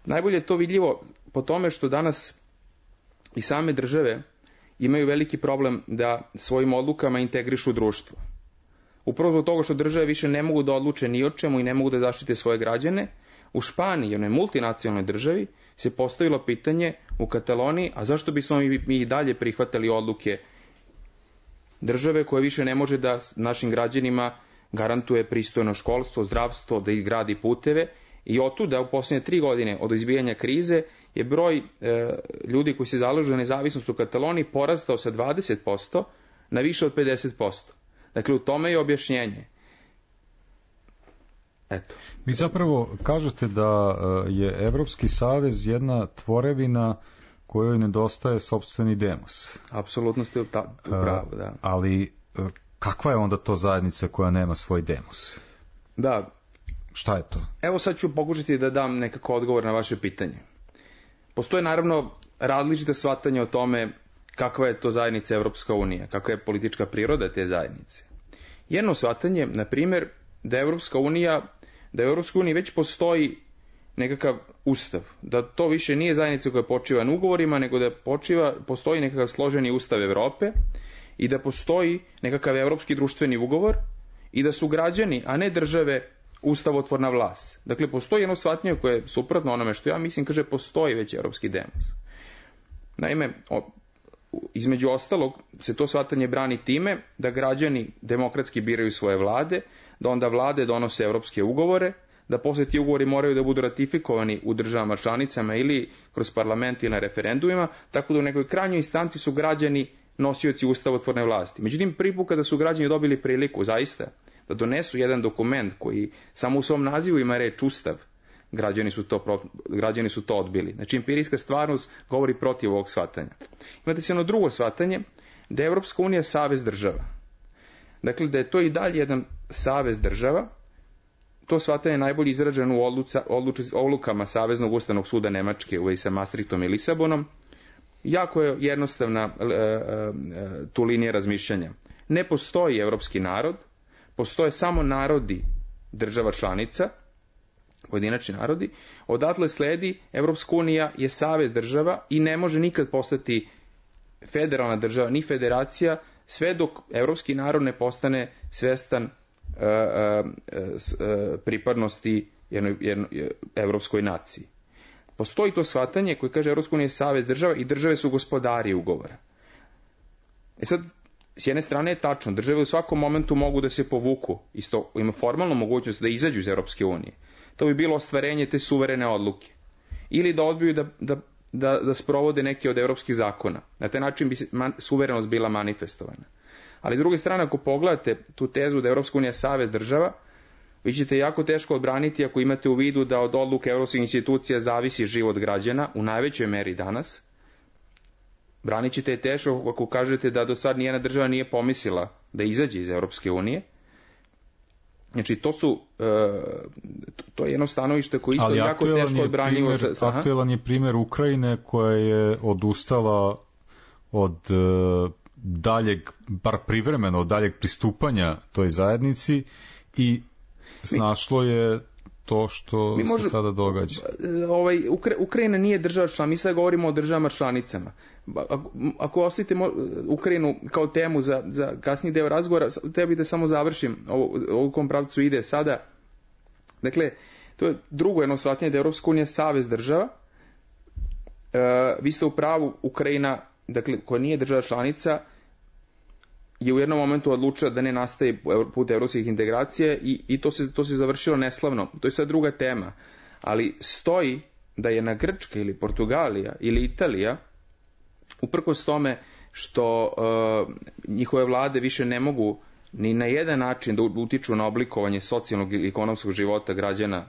Najbolje je to vidljivo po tome što danas i same države imaju veliki problem da svojim odlukama integrišu društvo. Upravo zbog toga što države više ne mogu da odluče ni o čemu i ne mogu da zaštite svoje građane, u Španiji, onoj multinacionalnoj državi, se postavilo pitanje u Kataloniji, a zašto bismo mi, mi i dalje prihvatali odluke države koja više ne može da našim građanima garantuje pristojno školstvo, zdravstvo, da ih gradi puteve, i otuda u posljednje tri godine od izbijanja krize je broj e, ljudi koji se zalažu za nezavisnost u Kataloniji porastao sa dvadeset posto na više od pedeset posto. Dakle, u tome je objašnjenje. Eto. Vi zapravo kažete da je Evropski savez jedna tvorevina kojoj nedostaje sopstveni demos. Apsolutno ste u, ta, u pravu, da. Ali kakva je onda to zajednica koja nema svoj demos? Da. Šta je to? Evo sad ću pokušati da dam nekako odgovor na vaše pitanje. Postoje naravno različite shvatanja o tome kakva je to zajednica Evropska unija, kakva je politička priroda te zajednice. Jedno shvatanje, na primjer, da Evropska unija, da u Evropskoj uniji već postoji nekakav ustav, da to više nije zajednica koja počiva na ugovorima, nego da počiva, postoji nekakav složeni ustav Evrope i da postoji nekakav evropski društveni ugovor i da su građani, a ne države, ustavotvorna vlast. Dakle, postoji jedno shvatanje koje je suprotno onome što ja mislim, kaže, postoji već evropski demos. Naime, o, između ostalog se to shvatanje brani time da građani demokratski biraju svoje vlade, da onda vlade donose evropske ugovore, da posle ti ugovori moraju da budu ratifikovani u državama članicama ili kroz parlament ili na referendumima, tako da u nekoj krajnjoj instanci su građani nosioci ustavotvorne vlasti. Međutim, prvi put kada su građani dobili priliku, zaista, da donesu jedan dokument koji samo u svom nazivu ima reč ustav, građani su to, građani su to odbili. Znači, empirijska stvarnost govori protiv ovog shvatanja. Imate se jedno drugo shvatanje, da je Evropska unija savez država. Dakle, da je to i dalje jedan savez država. To shvatanje je najbolje izraženo u odluca, odluči, odlukama Saveznog ustavnog suda Nemačke u vezi sa Maastrichtom i Lisabonom. Jako je jednostavna e, e, tu linija razmišljanja. Ne postoji evropski narod, postoje samo narodi država članica, pojedinačni narodi, odatle sledi Evropska unija je savez država i ne može nikad postati federalna država, ni federacija, sve dok evropski narod ne postane svestan uh, uh, uh, pripadnosti jednoj, jednoj evropskoj naciji. Postoji to shvatanje koje kaže Evropska unija je savez država i države su gospodari ugovora. E sad, s jedne strane je tačno, države u svakom momentu mogu da se povuku, isto ima formalnu mogućnost da izađu iz Evropske unije. To bi bilo ostvarenje te suverene odluke. Ili da odbiju da, da, da, da sprovode neke od evropskih zakona. Na taj način bi se man, suverenost bila manifestovana. Ali s druge strane, ako pogledate tu tezu da je Evropska unija savez država, vi ćete jako teško odbraniti ako imate u vidu da od odluke evropskih institucija zavisi život građana, u najvećoj meri danas. Branit ćete je teško ako kažete da do sad nijedna država nije pomislila da izađe iz Evropske unije. Znači, to su, to je jedno stanovište koje isto jako teško odbranjivo. Ali aktuelan je primjer Ukrajine koja je odustala od daljeg, bar privremeno, od daljeg pristupanja toj zajednici i snašlo je to što mi može, se sada događa. Ovaj, Ukrajina nije država članica, mi sad govorimo o državama članicama. Ako, ako ostavite Ukrajinu kao temu za, za kasniji deo razgovora, tebi da samo završim ovo, ovo kom pravcu ide sada. Dakle, to je drugo jedno shvatanje da je Evropska unija savez država. E, vi ste u pravu, Ukrajina, dakle, koja nije država članica, je u jednom momentu odlučila da ne nastaje put evropskih integracija i, i to, se, to se završilo neslavno. To je sad druga tema. Ali stoji da je na Grčka ili Portugalija ili Italija, uprkos tome što uh, njihove vlade više ne mogu ni na jedan način da utiču na oblikovanje socijalnog i ekonomskog života građana,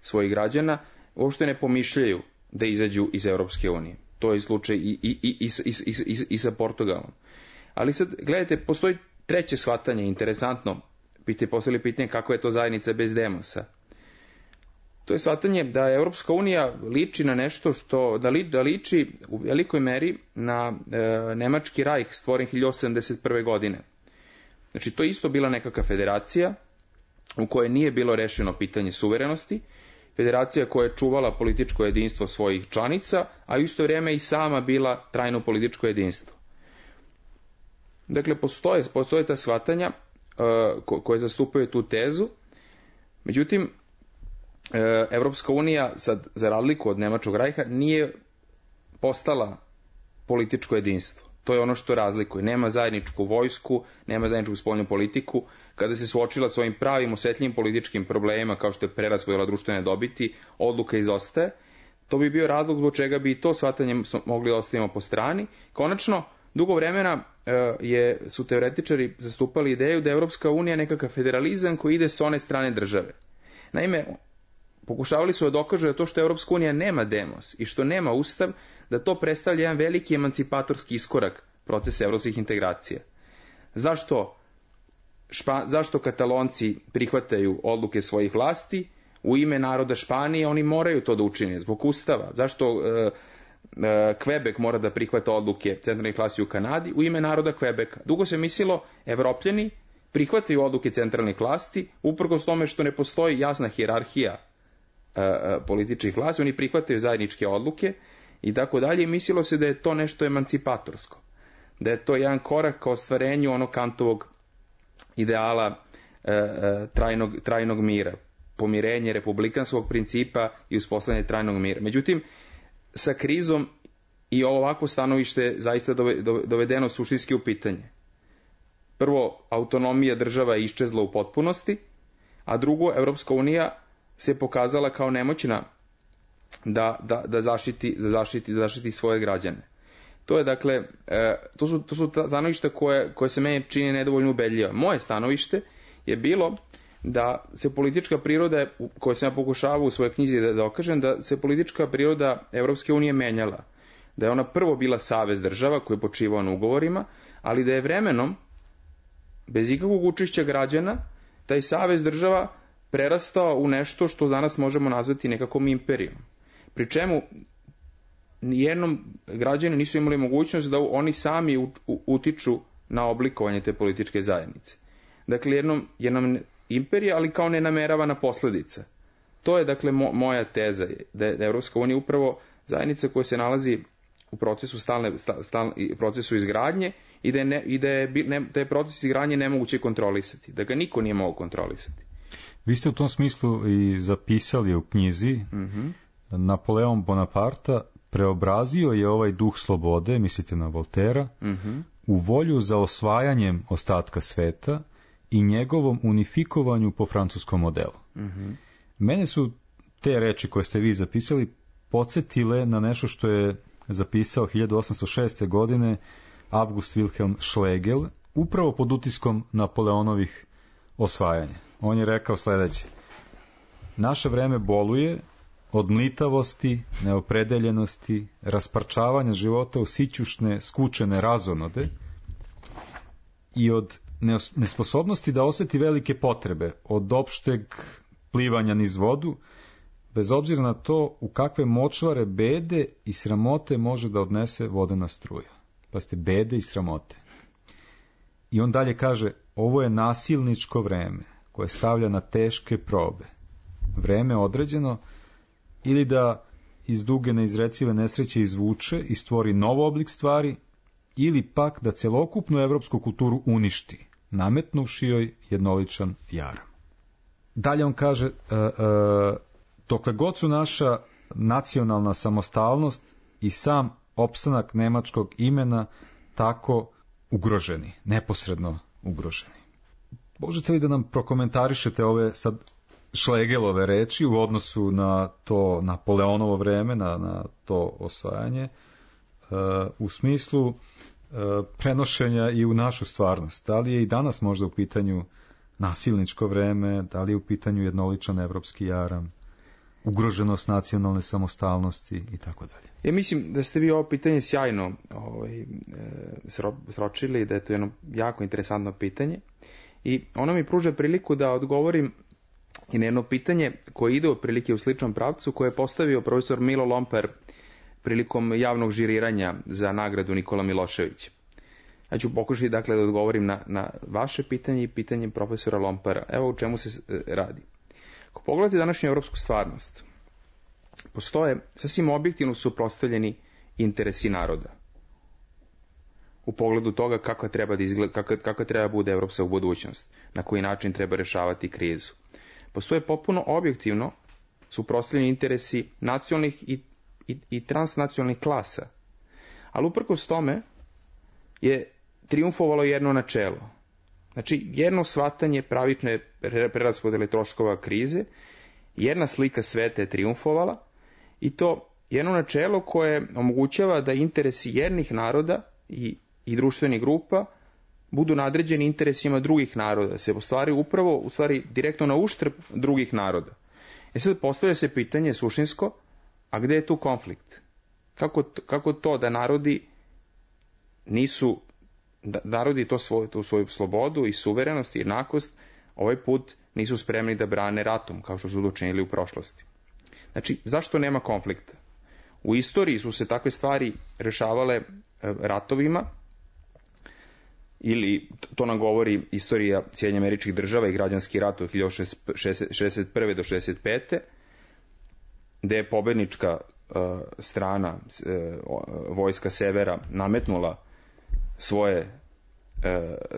svojih građana, uopšte ne pomišljaju da izađu iz Evropske unije. To je slučaj i, i, i, i, i, i, i sa Portugalom. Ali sad, gledajte, postoji treće shvatanje, interesantno, biste postavili pitanje kako je to zajednica bez demosa. To je shvatanje da Evropska unija liči na nešto što, da, li, da liči u velikoj meri na e, Nemački rajh stvoren hiljadu osamdeset prve. godine. Znači, to je isto bila nekakva federacija u kojoj nije bilo rešeno pitanje suverenosti, federacija koja je čuvala političko jedinstvo svojih članica, a u isto vrijeme i sama bila trajno političko jedinstvo. Dakle, postoje, postoje ta shvatanja uh, ko, koje zastupaju tu tezu, međutim, uh, Evropska unija, sad, za razliku od Nemačkog rajha, nije postala političko jedinstvo. To je ono što razlikuje. Nema zajedničku vojsku, nema zajedničku spoljnu politiku. Kada se suočila s ovim pravim osetljivim političkim problemima, kao što je preraspodela društvene dobiti, odluka izostaje. To bi bio razlog zbog čega bi i to shvatanje mogli da ostavimo po strani. Konačno, dugo vremena je, su teoretičari zastupali ideju da je Evropska unija nekakav federalizam koji ide s one strane države. Naime, pokušavali su da dokažu da to što Evropska unija nema demos i što nema ustav, da to predstavlja jedan veliki emancipatorski iskorak procesa evropskih integracija. Zašto, špa, zašto Katalonci prihvataju odluke svojih vlasti? U ime naroda Španije oni moraju to da učine zbog ustava. Zašto e, e, Kvebek mora da prihvata odluke centralnih vlasti u Kanadi? U ime naroda Kvebeka. Dugo se mislilo, Evropljani prihvataju odluke centralnih vlasti, uprkos tome što ne postoji jasna hijerarhija e, e, političkih vlasti, oni prihvataju zajedničke odluke i tako dalje, i mislilo se da je to nešto emancipatorsko, da je to jedan korak ka ostvarenju onog Kantovog ideala e, e, trajnog, trajnog mira, pomirenje republikanskog principa i uspostavljanje trajnog mira. Međutim, sa krizom i ovo ovako stanovište zaista dovedeno suštinski u pitanje. Prvo, autonomija država je iščezla u potpunosti, a drugo, Evropska unija se pokazala kao nemoćna da, da, da, zaštiti, da, zaštiti, da zaštiti svoje građane. To je dakle, e, to su, to su stanovišta koje, koje se meni čini nedovoljno ubedljiva. Moje stanovište je bilo da se politička priroda, koju sam ja pokušavao u svojoj knjizi da dokažem, da se politička priroda Evropske unije menjala. Da je ona prvo bila savez država koji je počivao na ugovorima, ali da je vremenom, bez ikakvog učešća građana, taj savez država prerastao u nešto što danas možemo nazvati nekakvom imperijom. Pri čemu nijednom građani nisu imali mogućnost da oni sami utiču na oblikovanje te političke zajednice. Dakle, jednom, jednom imperija, ali kao nenameravana posledica. To je, dakle, mo, moja teza, da je Evropska unija upravo zajednica koja se nalazi u procesu stalne, stalne, procesu izgradnje i da je, ne, i da je, ne, da je proces izgradnje nemoguće kontrolisati, da ga niko nije mogao kontrolisati. Vi ste u tom smislu i zapisali u knjizi, mm-hmm. Napoleon Bonaparte preobrazio je ovaj duh slobode, mislite na Voltera, mm-hmm. u volju za osvajanjem ostatka sveta i njegovom unifikovanju po francuskom modelu. Mm-hmm. Mene su te reči koje ste vi zapisali podsjetile na nešto što je zapisao hiljadu osamsto šeste. godine August Wilhelm Schlegel, upravo pod utiskom Napoleonovih osvajanja. On je rekao sledeće: naše vreme boluje od mlitavosti, neopredeljenosti, rasparčavanja života u sićušne, skučene razonode i od nesposobnosti da osjeti velike potrebe, od opšteg plivanja niz vodu, bez obzira na to u kakve močvare bede i sramote može da odnese vodena struja. Pa ste bede i sramote. I on dalje kaže, ovo je nasilničko vreme koje stavlja na teške probe. Vreme određeno ili da iz duge neizrecive nesreće izvuče i stvori nov oblik stvari, ili pak da celokupnu evropsku kulturu uništi, nametnuvši joj jednoličan jaram. Dalje on kaže, uh, uh, dokle god su naša nacionalna samostalnost i sam opstanak nemačkog imena tako ugroženi, neposredno ugroženi. Možete li da nam prokomentarišete ove sad Schlegelove reči u odnosu na to Napoleonovo vreme, na, na to osvajanje, uh, u smislu uh, prenošenja i u našu stvarnost? Da li je i danas možda u pitanju nasilničko vreme, da li je u pitanju jednoličan evropski jaram, ugroženost nacionalne samostalnosti i tako dalje? Ja mislim da ste vi ovo pitanje sjajno ovaj, e, sročili, da je to jedno jako interesantno pitanje i ono mi pruža priliku da odgovorim i na jedno pitanje koje ide otprilike u sličnom pravcu, koje je postavio profesor Milo Lomper prilikom javnog žiriranja za nagradu Nikola Milošević. Ja ću pokušati dakle da odgovorim na, na vaše pitanje i pitanje profesora Lompera. Evo u čemu se radi. Ako pogledate današnju evropsku stvarnost, postoje sasvim objektivno suprotstavljeni interesi naroda u pogledu toga kako treba da izgleda, kako, kako treba da bude evropska budućnost, na koji način treba rešavati krizu. Postoje potpuno objektivno suprotstavljeni interesi nacionalnih i, i, i transnacionalnih klasa. Ali uprkos tome, je triumfovalo jedno načelo. Znači, jedno shvatanje pravične preraspodele troškova krize, jedna slika sveta je triumfovala i to jedno načelo koje omogućava da interesi jednih naroda i, i društvenih grupa budu nadređeni interesima drugih naroda, se ostvari upravo, u stvari, direktno na uštrb drugih naroda. E sad postavlja se pitanje suštinsko, a gde je tu konflikt? Kako, kako to da narodi nisu, da narodi to svoju, tu svoju slobodu i suverenost i jednakost ovaj put nisu spremni da brane ratom, kao što su učinili u prošlosti? Znači, zašto nema konflikta? U istoriji su se takve stvari rešavale ratovima, ili to nam govori istorija Sjedinjenih Američkih Država i građanski rat od hiljadu šezdeset prve do šezdeset pete gde je pobednička uh, strana uh, vojska severa nametnula svoje uh,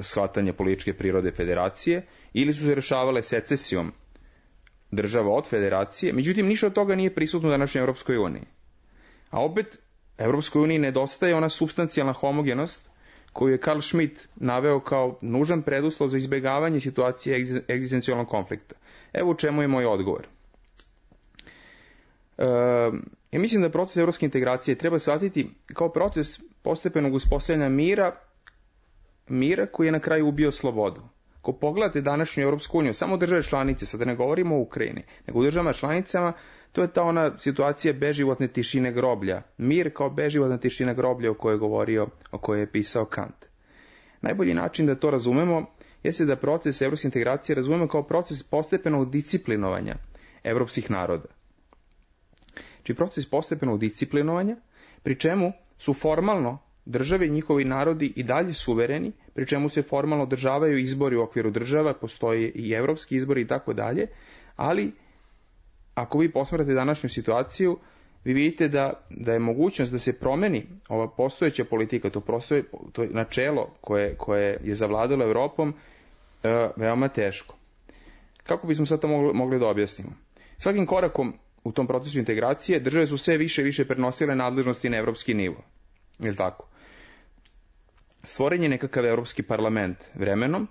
shvatanje političke prirode federacije, ili su se rešavale secesijom država od federacije, međutim ništa od toga nije prisutno u današnjoj Evropskoj uniji. A opet, Evropskoj uniji nedostaje ona supstancijalna homogenost koju je Karl Schmitt naveo kao nužan preduslov za izbjegavanje situacije egzistencijalnog konflikta. Evo u čemu je moj odgovor. E, ja mislim da proces evropske integracije treba shvatiti kao proces postepenog uspostavljanja mira, mira koji je na kraju ubio slobodu. Ako pogledate današnju Evropsku uniju, samo države članice, sada ne govorimo o Ukrajini, nego u državama članicama, to je ta ona situacija beživotne tišine groblja. Mir kao beživotna tišina groblja o kojoj je govorio, o kojoj je pisao Kant. Najbolji način da to razumemo jeste da proces evropske integracije razumemo kao proces postepenog disciplinovanja evropskih naroda. Znači proces postepenog disciplinovanja, pri čemu su formalno države i njihovi narodi i dalje suvereni, pri čemu se formalno održavaju izbori u okviru država, postoje i evropski izbori i tako dalje, ali ako vi posmatrate današnju situaciju, vi vidite da, da je mogućnost da se promeni ova postojeća politika, to, prostoje, to je načelo koje, koje je zavladalo Evropom, e, veoma teško. Kako bismo sad to mogli, mogli da objasnimo? Svakim korakom u tom procesu integracije države su sve više i više prenosile nadležnosti na evropski nivo. Je li tako? Stvoren je nekakav evropski parlament vremenom,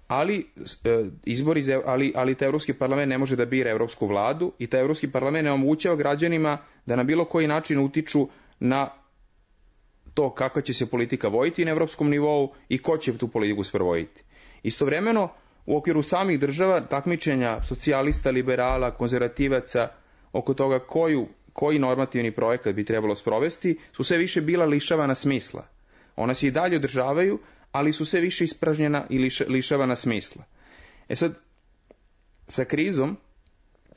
ali e, izbori za, ali ali taj evropski parlament ne može da bira evropsku vladu i taj evropski parlament ne omogućava građanima da na bilo koji način utiču na to kakva će se politika voditi na evropskom nivou i ko će tu politiku sprovoditi. Istovremeno u okviru samih država takmičenja socijalista, liberala, konzervativaca oko toga koju koji normativni projekat bi trebalo sprovesti su sve više bila lišavana smisla. Ona se i dalje održavaju, ali su sve više ispražnjena i liš, lišavana smisla. E sad, sa krizom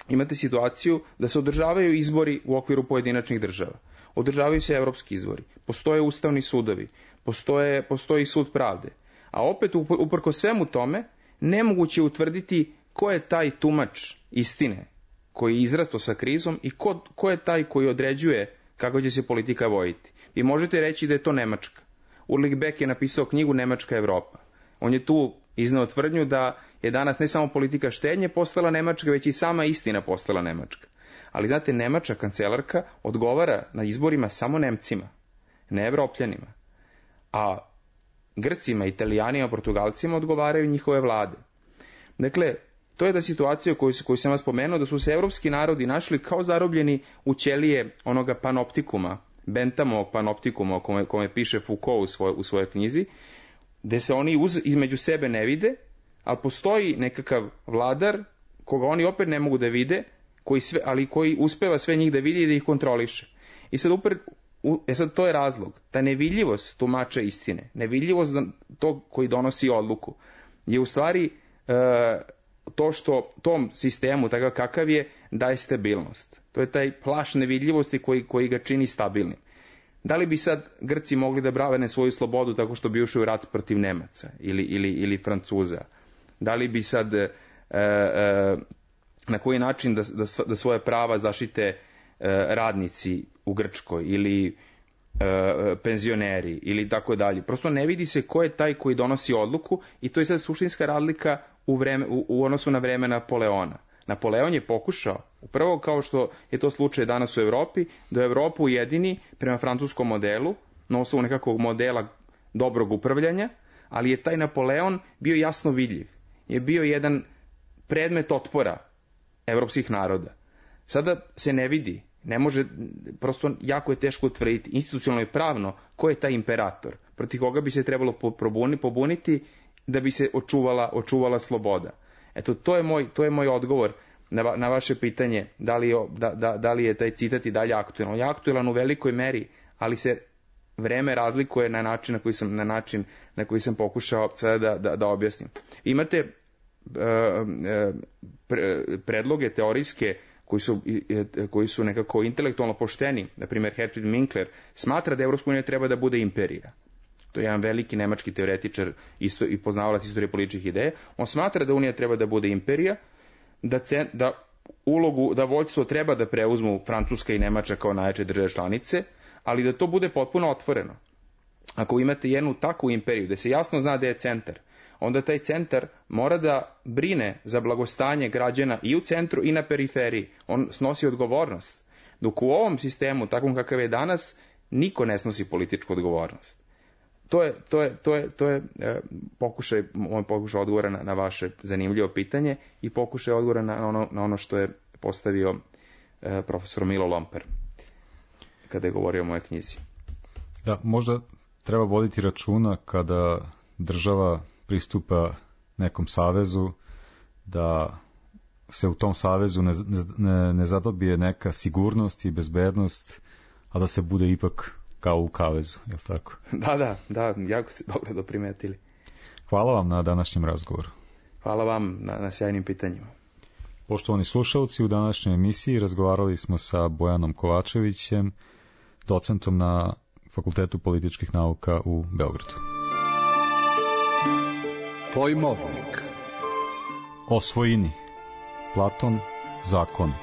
imate situaciju da se održavaju izbori u okviru pojedinačnih država. Održavaju se evropski izbori, postoje ustavni sudovi, postoje, postoji sud pravde. A opet, uprko svemu tome, nemoguće je utvrditi ko je taj tumač istine koji je izrasto sa krizom i ko, ko je taj koji određuje kako će se politika voditi. Vi možete reći da je to Nemačka. Ulrich Beck je napisao knjigu Nemačka Evropa. On je tu izneo tvrdnju da je danas ne samo politika štednje postala Nemačka, već i sama istina postala Nemačka. Ali znate, Nemačka kancelarka odgovara na izborima samo Nemcima, ne Evropljanima. A Grcima, Italijanima, Portugalcima odgovaraju njihove vlade. Dakle, to je da situacija koju, koju sam vas spomenuo, da su se evropski narodi našli kao zarobljeni u ćelije onoga panoptikuma, Benthamovog panoptikuma o kome, kome piše Foucault u, svoj, u svojoj knjizi, gde se oni uz, između sebe ne vide, ali postoji nekakav vladar koga oni opet ne mogu da vide, koji sve, ali koji uspeva sve njih da vidi i da ih kontroliše. I sad, upred, u, e sad to je razlog, ta nevidljivost tumača istine, nevidljivost tog koji donosi odluku, je u stvari e, to što tom sistemu, takav kakav je, daje stabilnost. To je taj plašt nevidljivosti koji, koji ga čini stabilnim. Da li bi sad Grci mogli da brane svoju slobodu tako što bi ušli u rat protiv Nemaca ili, ili, ili Francuza? Da li bi sad e, e, na koji način da, da, da svoje prava zaštite e, radnici u Grčkoj ili e, penzioneri ili tako dalje? Prosto ne vidi se ko je taj koji donosi odluku i to je sad suštinska razlika u, vreme, u, u odnosu na vreme Napoleona. Napoleon je pokušao, upravo kao što je to slučaj danas u Evropi, da Evropu ujedini prema francuskom modelu, na osnovu nekakvog modela dobrog upravljanja, ali je taj Napoleon bio jasno vidljiv. Je bio jedan predmet otpora evropskih naroda. Sada se ne vidi, ne može, prosto jako je teško utvrditi institucionalno i pravno ko je taj imperator, protiv koga bi se trebalo pobuniti da bi se očuvala, očuvala sloboda. Eto, to je moj, to je moj odgovor na, va, na vaše pitanje, da li, je, da, da, da li je taj citat i dalje aktualan. On je aktualan u velikoj meri, ali se vreme razlikuje na način na koji sam, na način na koji sam pokušao sada da, da, da objasnim. Imate uh, pre, predloge teorijske koji su, koji su nekako intelektualno pošteni. Na primjer, Herfried Minkler smatra da Evropska unija treba da bude imperija. To je jedan veliki nemački teoretičar isto, i poznavalac istorije političkih ideja. On smatra da Unija treba da bude imperija, da, cen, da ulogu, da vođstvo treba da preuzmu Francuska i Nemačka kao najjače države članice, ali da to bude potpuno otvoreno. Ako imate jednu takvu imperiju, da se jasno zna da je centar, onda taj centar mora da brine za blagostanje građana i u centru i na periferiji. On snosi odgovornost. Dok u ovom sistemu, takvom kakav je danas, niko ne snosi političku odgovornost. To je, to je, to je, to je e, pokušaj, moj pokušaj odgovora na, na vaše zanimljivo pitanje i pokušaj odgovora na ono, na ono što je postavio e, profesor Milo Lomper kada je govorio o mojoj knjizi. Da, možda treba voditi računa kada država pristupa nekom savezu, da se u tom savezu ne, ne, ne zadobije neka sigurnost i bezbednost, a da se bude ipak kao u kavezu, je li tako? Da, da, da, jako ste dobro doprimetili. Hvala vam na današnjem razgovoru. Hvala vam na, na sjajnim pitanjima. Poštovani slušalci, u današnjoj emisiji razgovarali smo sa Bojanom Kovačevićem, docentom na Fakultetu političkih nauka u Beogradu. Pojmovnik. O svojini. Platon, zakon.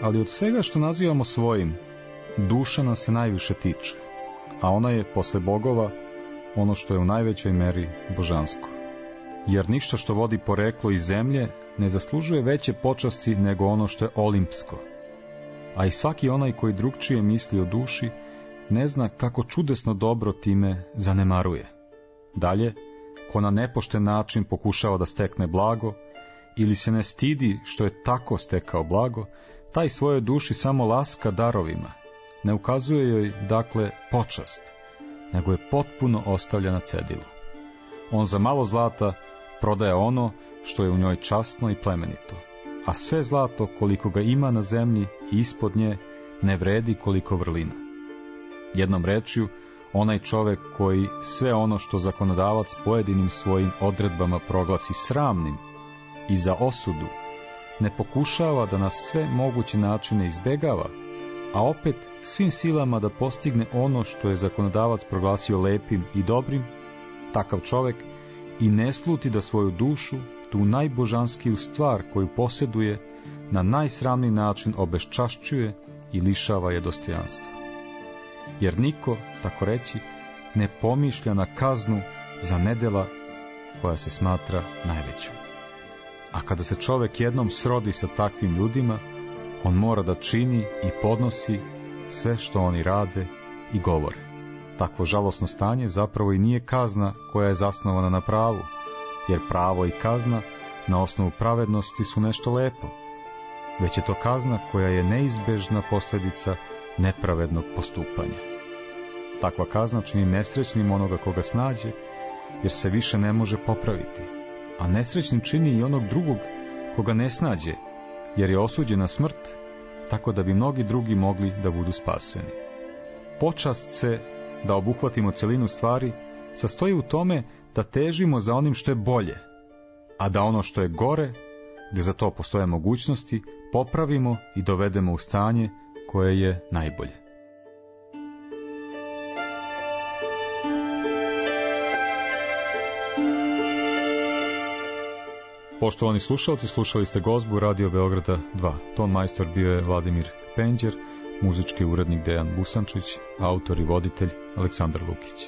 Ali od svega što nazivamo svojim, duša nas se najviše tiče, a ona je posle bogova ono što je u najvećoj meri božansko. Jer ništa što vodi poreklo iz zemlje ne zaslužuje veće počasti nego ono što je olimpsko. A i svaki onaj koji drugčije misli o duši ne zna kako čudesno dobro time zanemaruje. Dalje, ko na nepošten način pokušava da stekne blago ili se ne stidi što je tako stekao blago, taj svojoj duši samo laska darovima, ne ukazuje joj, dakle, počast, nego je potpuno ostavlja na cedilu. On za malo zlata prodaje ono što je u njoj časno i plemenito, a sve zlato koliko ga ima na zemlji i ispod nje ne vredi koliko vrlina. Jednom rečju, onaj čovek koji sve ono što zakonodavac pojedinim svojim odredbama proglasi sramnim i za osudu, ne pokušava da na sve moguće načine izbegava, a opet svim silama da postigne ono što je zakonodavac proglasio lepim i dobrim, takav čovek i ne sluti da svoju dušu, tu najbožanskiju stvar koju posjeduje, na najsramniji način obeščašćuje i lišava je dostojanstva. Jer niko, tako reći, ne pomišlja na kaznu za nedela koja se smatra najvećom. A kada se čovek jednom srodi sa takvim ljudima, on mora da čini i podnosi sve što oni rade i govore. Takvo žalosno stanje zapravo i nije kazna koja je zasnovana na pravu, jer pravo i kazna na osnovu pravednosti su nešto lepo, već je to kazna koja je neizbežna posljedica nepravednog postupanja. Takva kazna čini nesrećnim onoga koga snađe, jer se više ne može popraviti, a nesrećnim čini i onog drugog koga ne snađe, jer je osuđen na smrt, tako da bi mnogi drugi mogli da budu spaseni. Počast se, da obuhvatimo celinu stvari, sastoji u tome da težimo za onim što je bolje, a da ono što je gore, gde za to postoje mogućnosti, popravimo i dovedemo u stanje koje je najbolje. Poštovani slušalci, slušali ste gozbu Radio Beograda dva. Ton majstor bio je Vladimir Penđer, muzički urednik Dejan Busančić, autor i voditelj Aleksandar Lukić.